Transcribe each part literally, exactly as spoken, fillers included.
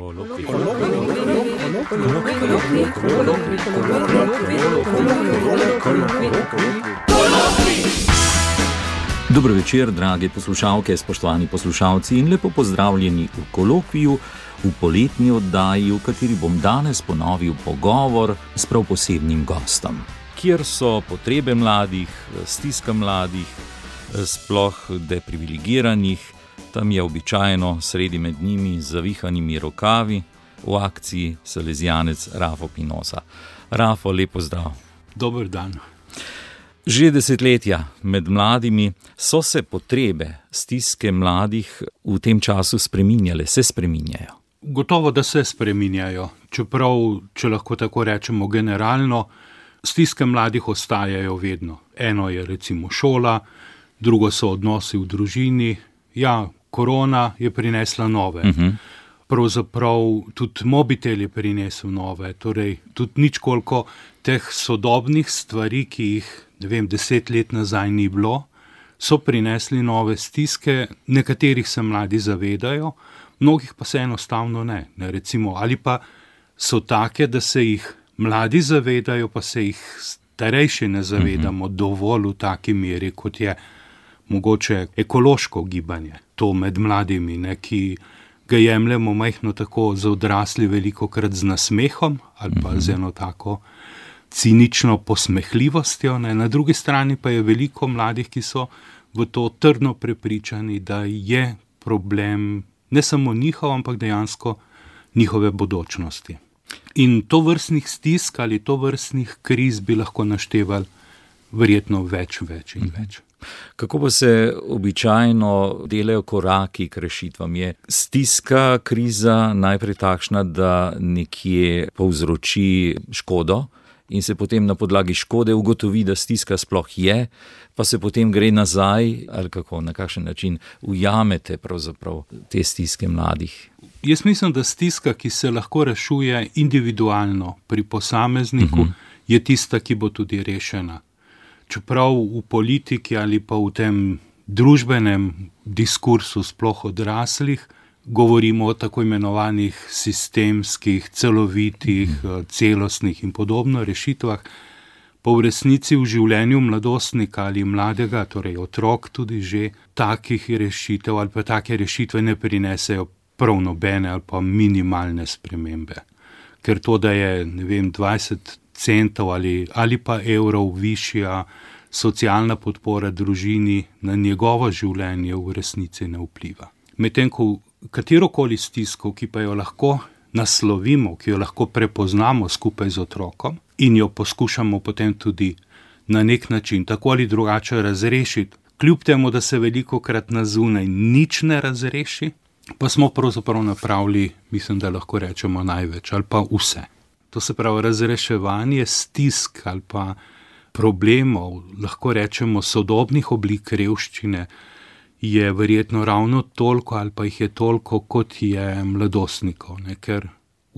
Dobro večer, drage poslušalke, spoštovani poslušalci in lepo pozdravljeni v kolokviju, v poletni oddaji, v kateri bom danes ponovil pogovor s prav posebnim gostom, kjer so potrebe mladih, stiska mladih, sploh deprivilegiranih. Tam je običajno sredi med njimi z zavihanimi rokavi v akciji salezijanec Rafo Pinoza. Rafo, lep pozdrav. Dober dan. Že desetletja med mladimi so se potrebe, stiske mladih v tem času spreminjale, se spreminjajo. Gotovo, da se spreminjajo, čeprav, če lahko tako rečemo generalno, stiske mladih ostajajo vedno. Eno je recimo šola, drugo so odnosi v družini. Ja, korona je prinesla nove. Uh-huh. Pravzaprav tudi mobitel je prinesel nove, torej tudi nič koliko teh sodobnih stvari, ki jih, ne vem, deset let nazaj ni bilo, so prinesli nove stiske, nekaterih se mladi zavedajo, mnogih pa se enostavno ne. ne recimo, ali pa so take, da se jih mladi zavedajo, pa se jih starejši ne zavedamo uh-huh. dovolj v taki meri, kot je mogoče ekološko gibanje. To med mladimi, ne, ki ga jemljemo majhno tako za odrasli velikokrat z nasmehom ali pa mm-hmm. z eno tako cinično posmehljivostjo. Ne. Na drugi strani pa je veliko mladih, ki so v to trdno prepričani, da je problem ne samo njihov, ampak dejansko njihove bodočnosti. In to vrstnih stisk ali to vrstnih kriz bi lahko naštevali verjetno več, več in mm-hmm. več. Kako pa se običajno delajo koraki k rešitvam? Je stiska, kriza najprej takšna, da nekje povzroči škodo in se potem na podlagi škode ugotovi, da stiska sploh je, pa se potem gre nazaj, ali kako, na kakšen način ujamete pravzaprav te stiske mladih? Jaz mislim, da stiska, ki se lahko rešuje individualno pri posamezniku, uh-huh. je tista, ki bo tudi rešena. Čeprav v politiki ali pa v tem družbenem diskursu sploh odraslih govorimo o tako imenovanih sistemskih, celovitih, celostnih in podobno rešitvah, pa v resnici v življenju mladostnika ali mladega, torej otrok tudi že, takih rešitev ali pa take rešitve ne prinesejo prav nobene ali pa minimalne spremembe. Ker to, da je, ne vem, dvajset centov ali, ali pa evrov višja socialna podpora družini, na njegovo življenje v resnici ne vpliva. Medtem ko katerokoli stisko, ki pa jo lahko naslovimo, ki jo lahko prepoznamo skupaj z otrokom in jo poskušamo potem tudi na nek način tako ali drugače razrešiti, kljub temu, da se velikokrat na zunaj nič ne razreši, pa smo pravzaprav napravili, mislim, da lahko rečemo največ ali pa vse. To se pravi, razreševanje stisk ali pa problemov, lahko rečemo sodobnih oblik revščine, je verjetno ravno toliko ali pa jih je toliko, kot je mladostnikov, ne? Ker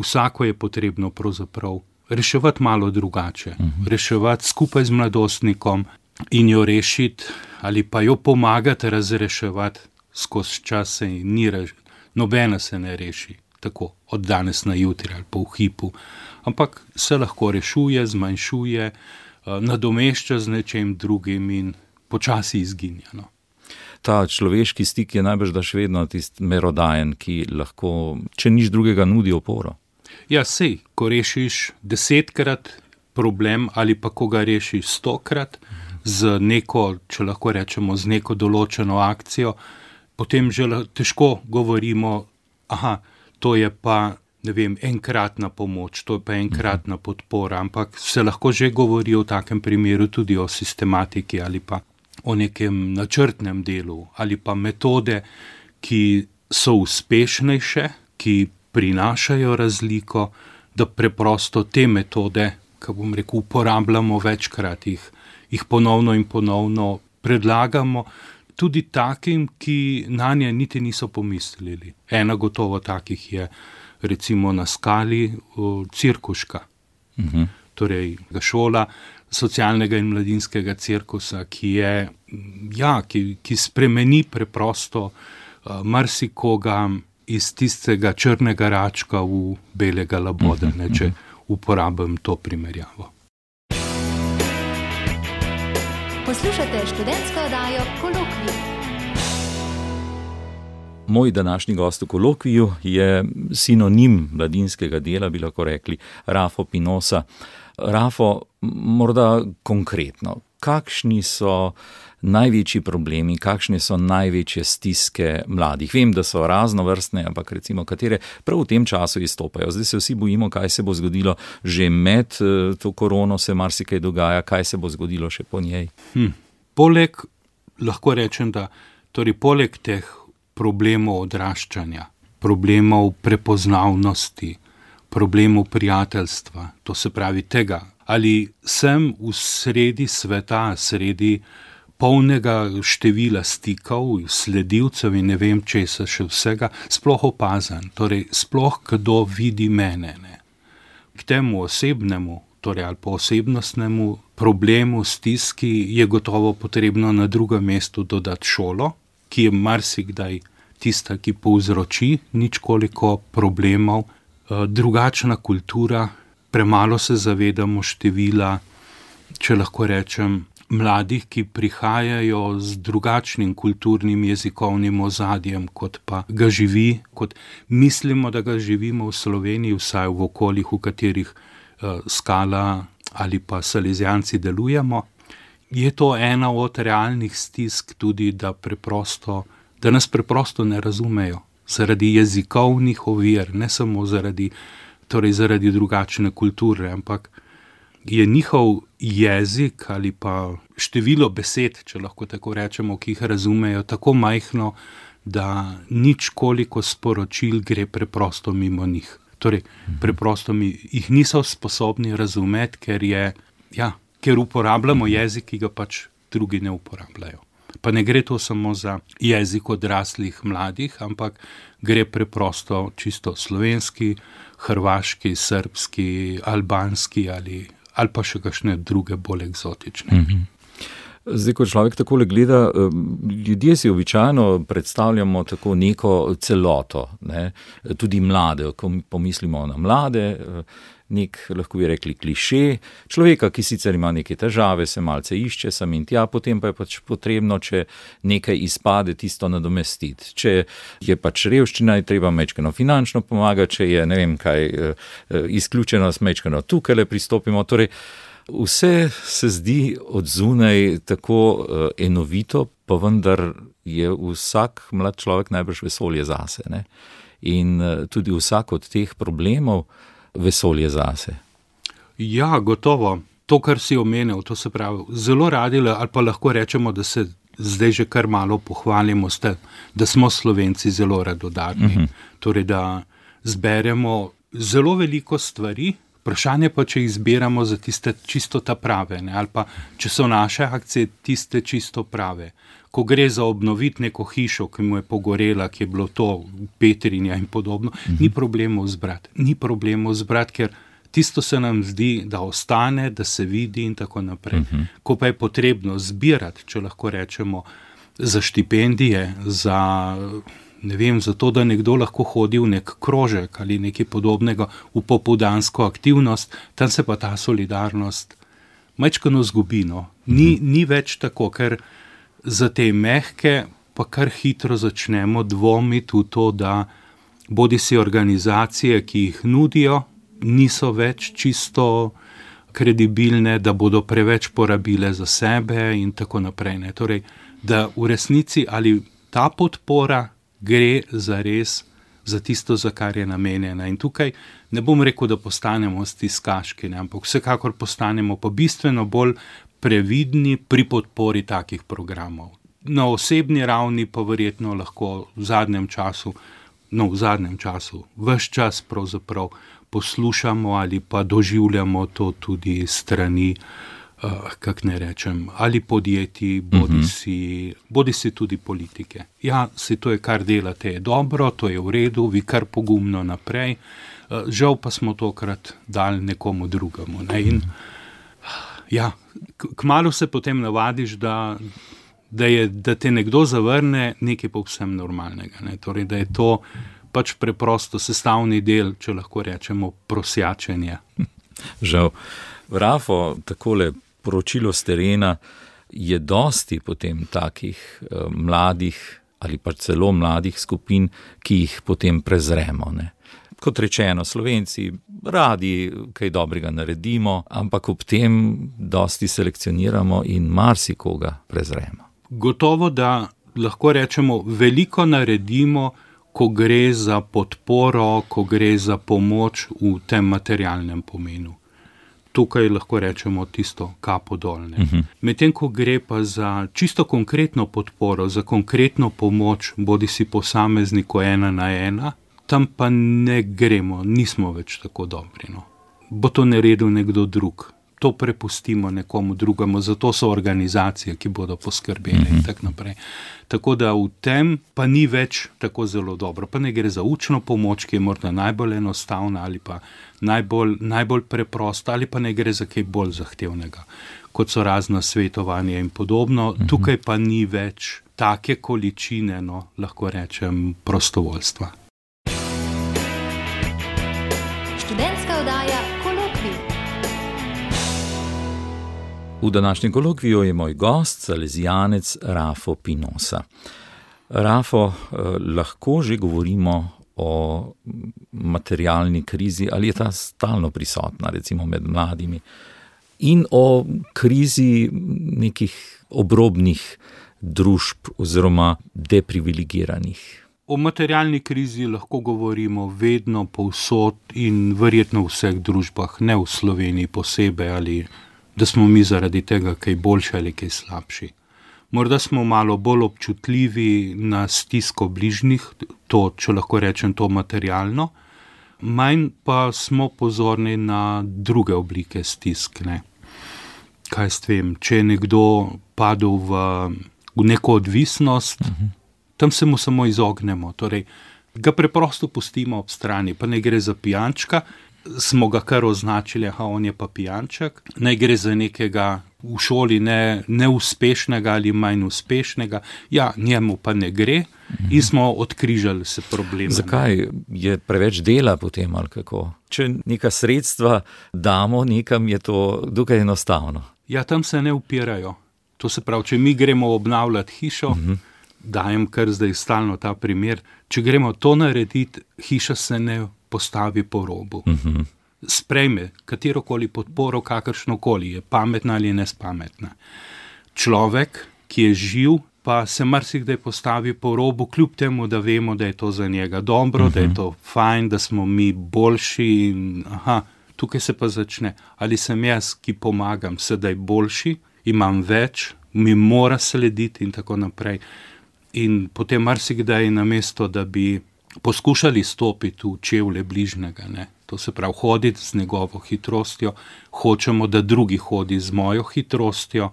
vsako je potrebno pravzaprav reševati malo drugače, uh-huh. reševati skupaj z mladostnikom in jo rešiti ali pa jo pomagati razreševati skozi čas, in ni rež... nobena se ne reši tako od danes na jutri ali pa v hipu, ampak se lahko rešuje, zmanjšuje, nadomešča z nečem drugim in počasi izginja. No. Ta človeški stik je najbrž da še vedno tisti merodajen, ki lahko, če nič drugega, nudi oporo. Ja, sej, ko rešiš desetkrat problem ali pa ko ga rešiš stokrat z neko, če lahko rečemo, z neko določeno akcijo, potem že težko govorimo, aha, to je pa, ne vem, enkratna pomoč, to je pa enkratna podpora, ampak se lahko že govori v takem primeru tudi o sistematiki ali pa o nekem načrtnem delu ali pa metode, ki so uspešnejše, ki prinašajo razliko, da preprosto te metode, ko bom rekel, uporabljamo večkrat, jih, jih ponovno in ponovno predlagamo, tudi takim, ki nanje niti niso pomislili. Ena gotovo takih je recimo na Skali Cirkuška, uh-huh. torej šola socialnega in mladinskega cirkusa, ki je, ja, ki, ki spremeni preprosto uh, marsikoga iz tistega črnega račka v belega laboda, ne, če uporabim to primerjavo. Poslušate študentsko oddajo Kolokvij. Moj današnji gost v Kolokviju je sinonim mladinskega dela, bi lahko rekli, Rafo Pinoza. Rafo, morda konkretno, kakšni so največji problemi, kakšne so največje stiske mladih? Vem, da so raznovrstne, ampak recimo katere prav v tem času izstopajo. Zdaj se vsi bojimo, kaj se bo zgodilo že med to korono, se marsikaj dogaja, kaj se bo zgodilo še po njej. Hm. Poleg, lahko rečem, da torej poleg teh problemov odraščanja, problemov prepoznavnosti, problemov prijateljstva, to se pravi tega, ali sem v sredi sveta, sredi polnega števila stikov, sledilcev in ne vem česa še vsega, sploh opazen, torej sploh kdo vidi mene. Ne. K temu osebnemu, torej ali pa osebnostnemu problemu, stiski je gotovo potrebno na drugem mestu dodati šolo, ki je marsikdaj tista, ki povzroči ničkoliko problemov, drugačna kultura, premalo se zavedamo števila, če lahko rečem, mladih, ki prihajajo z drugačnim kulturnim jezikovnim ozadjem, kot pa ga živi, kot mislimo, da ga živimo v Sloveniji, vsaj v okoljih, v katerih uh, Skala ali pa Salezijanci delujemo. Je to ena od realnih stisk tudi, da preprosto, da nas preprosto ne razumejo, zaradi jezikovnih ovir, ne samo zaradi, torej zaradi drugačne kulture, ampak je njihov jezik ali pa število besed, če lahko tako rečemo, ki jih razumejo, tako majhno, da nič koliko sporočil gre preprosto mimo njih. Torej, preprosto mi jih niso sposobni razumeti, ker je, ja, ker uporabljamo jezik, ki ga pač drugi ne uporabljajo. Pa ne gre to samo za jezik odraslih mladih, ampak gre preprosto čisto slovenski, hrvaški, srbski, albanski ali ali pa še kakšne druge bolj eksotične. Mhm. Zdaj, ko človek takole gleda, ljudje si običajno predstavljamo tako neko celoto, ne? Tudi mlade, ko pomislimo na mlade, nek, lahko bi rekli, kliše, človeka, ki sicer ima neke težave, se malce išče sam in tja, potem pa je pač potrebno, če nekaj izpade, tisto nadomestiti. Če je pač revščina, je treba mečkano finančno pomagati, če je, ne vem kaj, izključenost, mečkano tukaj le pristopimo. Torej, vse se zdi od zunaj tako enovito, pa vendar je vsak mlad človek najbrž vesolje zase, ne? In tudi vsak od teh problemov vesolje zase. Ja, gotovo. To, kar si omenil, to se pravi, zelo radi, ali pa lahko rečemo, da se zdaj že kar malo pohvalimo, ste, da smo Slovenci zelo radodarni. Uh-huh. Torej, da zberemo zelo veliko stvari, vprašanje pa, če jih zbiramo za tiste čisto ta prave, ne? Ali pa, če so naše akcije tiste čisto prave. Ko gre za obnoviti neko hišo, ki mu je pogorela, ki je bilo to Petrinja in podobno, uh-huh. ni problemov zbrati. Ni problemov zbrati, ker tisto se nam zdi, da ostane, da se vidi in tako naprej. Uh-huh. Ko pa je potrebno zbirati, če lahko rečemo, za štipendije, za, ne vem, za to, da nekdo lahko hodi v nek krožek ali nekaj podobnega v popoldansko aktivnost, tam se pa ta solidarnost majčkeno zgubi, no. Ni, uh-huh. ni več tako, ker za te mehke pa kar hitro začnemo dvomiti v to, da bodisi organizacije, ki jih nudijo, niso več čisto kredibilne, da bodo preveč porabile za sebe in tako naprej. Ne. Torej, da v resnici ali ta podpora gre za res za tisto, za kar je namenjena. In tukaj ne bom rekel, da postanemo stiskaški, ne, ampak vsekakor postanemo pa bistveno bolj previdni pri podpori takih programov. Na osebni ravni pa verjetno lahko v zadnjem času, no v zadnjem času, ves čas pravzaprav poslušamo ali pa doživljamo to tudi strani, uh, kak ne rečem, ali podjetij, bodisi, uh-huh. bodisi tudi politike. Ja, se to je, kar delate, je dobro, to je v redu, vi kar pogumno naprej, uh, žal pa smo tokrat dali nekomu drugemu. Ne? In, ja, kmalu se potem navadiš, da, da, je, da te nekdo zavrne nekaj povsem normalnega. Ne? Torej, da je to pač preprosto sestavni del, če lahko rečemo, prosjačenja. Žal. Rafo, takole poročilo s terena, je dosti potem takih eh, mladih ali pa celo mladih skupin, ki jih potem prezremo, ne. Kot rečeno, Slovenci radi kaj dobrega naredimo, ampak ob tem dosti selekcioniramo in marsikoga prezremo. Gotovo, da lahko rečemo, veliko naredimo, ko gre za podporo, ko gre za pomoč v tem materialnem pomenu. Tukaj lahko rečemo tisto kapo dolne. Uh-huh. Medtem, ko gre pa za čisto konkretno podporo, za konkretno pomoč, bodi si posamezniku ena na ena, tam pa ne gremo, nismo več tako dobri. No. Bo to naredil nekdo drug. To prepustimo nekomu drugemu, zato so organizacije, ki bodo poskrbeli mm-hmm. in tako naprej. Tako da v tem pa ni več tako zelo dobro. Pa ne gre za učno pomoč, ki je morda najbolj enostavna ali pa najbolj, najbolj preprosta, ali pa ne gre za kaj bolj zahtevnega, kot so razna svetovanja in podobno. Mm-hmm. Tukaj pa ni več take količine, no, lahko rečem, prostovoljstva. Študentska oddaja Kolokvij. V današnjem kolokviju je moj gost, salezijanec Rafo Pinosa. Rafo, eh, lahko že govorimo o materialni krizi, ali je ta stalno prisotna, recimo med mladimi, in o krizi nekih obrobnih družb oziroma deprivilegiranih. O materialni krizi lahko govorimo vedno, povsod in verjetno v vseh družbah, ne v Sloveniji posebej, ali da smo mi zaradi tega kaj boljši ali kaj slabši. Morda smo malo bolj občutljivi na stisko bližnjih, to, če lahko rečem, to materialno, manj pa smo pozorni na druge oblike stisk. Ne. Kaj s tem, če je nekdo padel v, v neko odvisnost, uh-huh. tam se mu samo izognemo, torej ga preprosto pustimo ob strani, pa ne gre za pijančka, smo ga kar označili, aha, on je pa pijanček, ne gre za nekega v šoli ne, neuspešnega ali manj uspešnega, ja, njemu pa ne gre mm-hmm. in smo odkrižali se probleme. Zakaj? Je preveč dela potem ali kako? Če neka sredstva damo nekam, je to dokaj enostavno. Ja, tam se ne upirajo. To se pravi, če mi gremo obnavljati hišo, mm-hmm. dajem kar zdaj stalno ta primer, če gremo to narediti, hiša se ne postavi po robu. Uh-huh. Sprejme katerokoli podporo, kakršnokoli, je pametna ali nespametna. Človek, ki je živ, pa se marsikdaj postavi po robu, kljub temu, da vemo, da je to za njega dobro, uh-huh. da je to fajn, da smo mi boljši in aha, tukaj se pa začne. Ali sem jaz, ki pomagam, sedaj boljši, imam več, mi mora slediti in tako naprej. In potem marsikdaj namesto, da bi poskušali stopiti v čevlje bližnjega, ne. To se pravi, hoditi z njegovo hitrostjo, hočemo, da drugi hodi z mojo hitrostjo,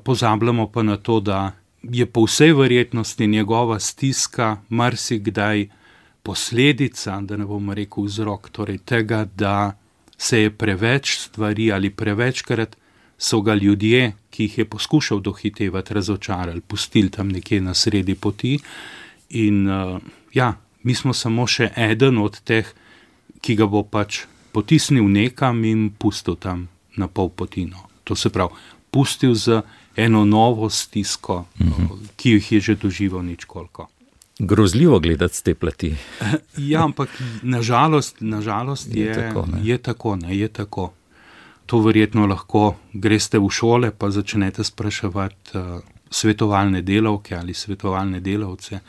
pozabljamo pa na to, da je po vsej verjetnosti njegova stiska marsikdaj posledica, da ne bom rekel vzrok, torej tega, da se je preveč stvari ali prevečkrat so ga ljudje, ki jih je poskušal dohitevati, razočarali, pustili tam nekje na sredi poti in uh, ja, mi smo samo še eden od teh, ki ga bo pač potisnil nekam in pustil tam na pol potino. To se pravi, pustil z eno novo stisko, mm-hmm. ki jih je že doživel ničkoliko. Grozljivo gledati z te plati. Ja, ampak nažalost, nažalost je, je, tako, ne? je tako, ne, je tako. To verjetno lahko greste v šole, pa začnete spraševati uh, svetovalne delavke ali svetovalne delavce,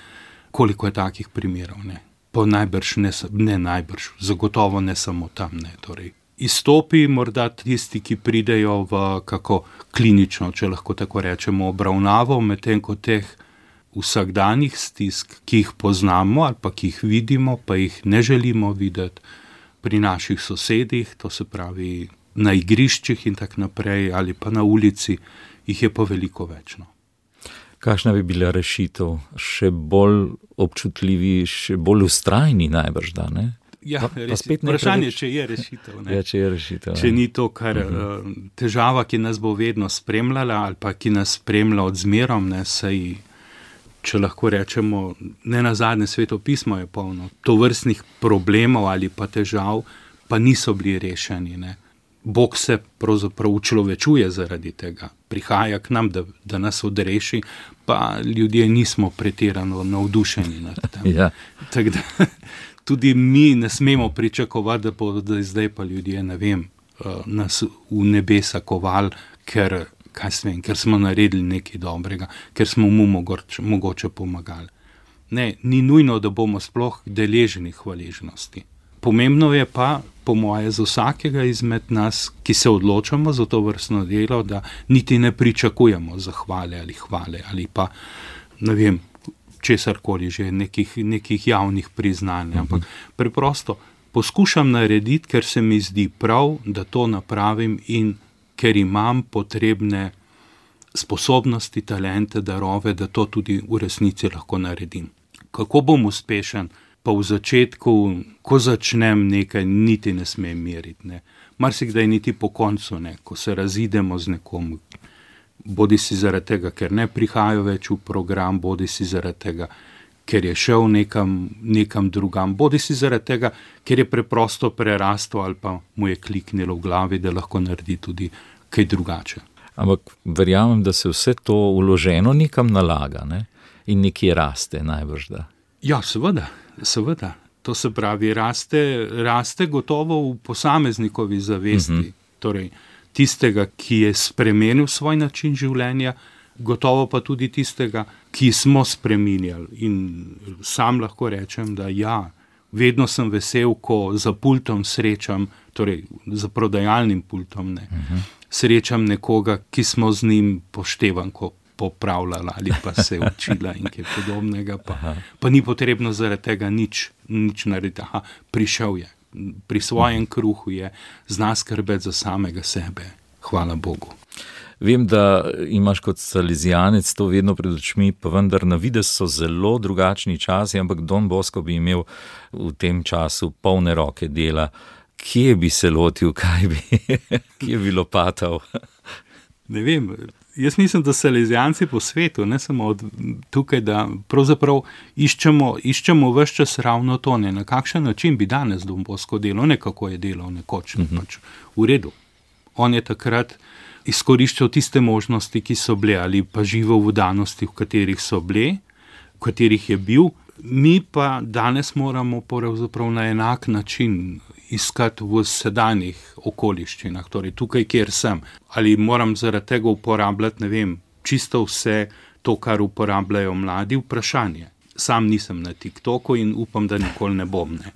koliko je takih primerov, ne. Pa najbrž, ne, ne najbrž, zagotovo ne samo tam, ne, torej. Izstopi morda tisti, ki pridejo v kako klinično, če lahko tako rečemo, obravnavo, medtem ko teh vsakdanjih stisk, ki jih poznamo ali pa ki jih vidimo, pa jih ne želimo videti pri naših sosedih, to se pravi na igriščih in tak naprej, ali pa na ulici, jih je pa veliko več, no. Kakšna bi bila rešitev? Še bolj občutljivi, še bolj vztrajni najbrž, da, ne? Ja, pa, pa spet vprašanje, če je rešitev, ne? Ja, če je rešitev. Če ni to, kar uh-huh. težava, ki nas bo vedno spremljala, ali pa ki nas spremlja od zmerom, ne, saj če lahko rečemo, ne nazadnje svetopismo je polno tovrstnih problemov ali pa težav, pa niso bili rešeni. Ne. Bog se pravzaprav učlovečuje zaradi tega, prihaja k nam, da, da nas odreši, pa ljudje nismo pretirano navdušeni nad tem. Ja. Tako da tudi mi ne smemo pričakovati, da bodo zdaj pa ljudje, ne vem, nas v nebesa kovali, ker, kaj svem, ker smo naredili nekaj dobrega, ker smo mu mogoče, mogoče pomagali. Ne, ni nujno, da bomo sploh deležni hvaležnosti. Pomembno je pa, po moje, za vsakega izmed nas, ki se odločamo za to vrstno delo, da niti ne pričakujemo zahvale ali hvale ali pa, ne vem, česarkoli že, nekih, nekih javnih priznanj. Ampak preprosto poskušam narediti, ker se mi zdi prav, da to napravim in ker imam potrebne sposobnosti, talente, darove, da to tudi v resnici lahko naredim. Kako bom uspešen? Pa v začetku, ko začnem nekaj, niti ne smem meriti. Ne. Marsikdaj niti po koncu, ne, ko se razidemo z nekom, bodi si zaradi tega, ker ne prihajajo več v program, bodi si zaradi tega, ker je šel nekam, nekam drugam, bodi si zaradi tega, ker je preprosto prerastel ali pa mu je kliknilo v glavi, da lahko naredi tudi kaj drugače. Ampak verjamem, da se vse to vloženo nekam nalaga, ne? In nekje raste najbrž, da. Ja, seveda. Seveda, to se pravi, raste, raste gotovo v posameznikovi zavesti, uh-huh. Torej tistega, ki je spremenil svoj način življenja, gotovo pa tudi tistega, ki smo spreminjali. In sam lahko rečem, da ja, vedno sem vesel, ko za pultom srečam, torej za prodajalnim pultom, ne, uh-huh. Srečam nekoga, ki smo z njim poštevanko popravljala ali pa se učila in kaj podobnega, pa, pa ni potrebno zaradi tega nič, nič narediti. Aha, prišel je, pri svojem kruhu je, zna skrbeti za samega sebe. Hvala Bogu. Vem, da imaš kot salezijanec to vedno pred očmi, pa vendar na videz so zelo drugačni časi, ampak Don Bosco bi imel v tem času polne roke dela. Kje bi se lotil, kaj bi, kje bi lopatal? Ne vem, jaz mislim, da salezijanci po svetu, ne samo od tukaj, da pravzaprav iščemo, iščemo ves čas ravno to, ne, na kakšen način bi danes Don Bosco delal, ne kako je delal nekoč, ne, pač v redu. On je takrat izkoriščal tiste možnosti, ki so bile, ali pa živel v danosti, v katerih so bile, v katerih je bil. Mi pa danes moramo pravzaprav na enak način iskati v sedanjih okoliščinah, torej tukaj, kjer sem. Ali moram zaradi tega uporabljati, ne vem, čisto vse to, kar uporabljajo mladi, vprašanje. Sam nisem na TikToku in upam, da nikoli ne bom. Ne.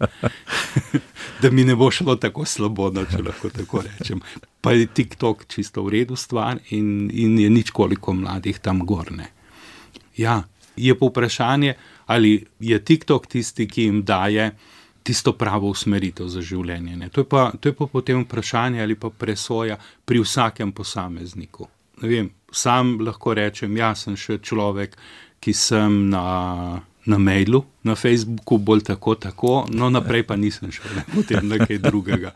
Da mi ne bo šlo tako slabo, da če lahko tako rečem. Pa je TikTok čisto v redu stvar in, in je nič koliko mladih tam gorne. Ja, je pa vprašanje, ali je TikTok tisti, ki jim daje tisto pravo usmeritev za življenje. Ne. To je pa, to je pa potem vprašanje ali pa presoja pri vsakem posamezniku. Ne vem, sam lahko rečem, jaz sem še človek, ki sem na, na mailu, na Facebooku bolj tako, tako, no naprej pa nisem šel, potem nekaj drugega.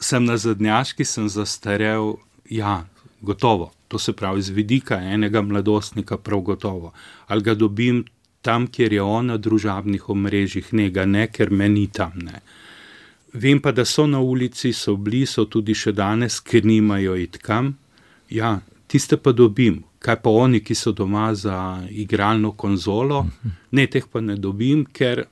Sem nazadnjaški, sem zastarel, ja, gotovo. To se pravi, z vidika enega mladostnika prav gotovo. Ali ga dobim tam, kjer je on na družabnih omrežjih, ne ga ne, ker me ni tam, ne. Vem pa, da so na ulici, so bili, so tudi še danes, ker nimajo iti kam. Ja, tiste pa dobim. Kaj pa oni, ki so doma za igralno konzolo, ne, teh pa ne dobim, ker,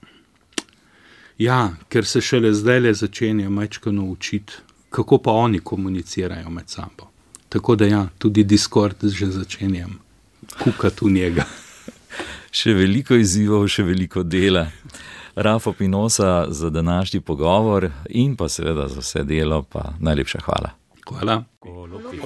ja, ker se šele zdajle začenja majčkeno učiti, kako pa oni komunicirajo med sabo. Tako da ja, tudi Discord že začenjam kukati v njega. Še veliko izzivov, še veliko dela. Rafo Pinoza za današnji pogovor in pa seveda za vse delo, pa najlepša hvala. Hvala. Kolokvij.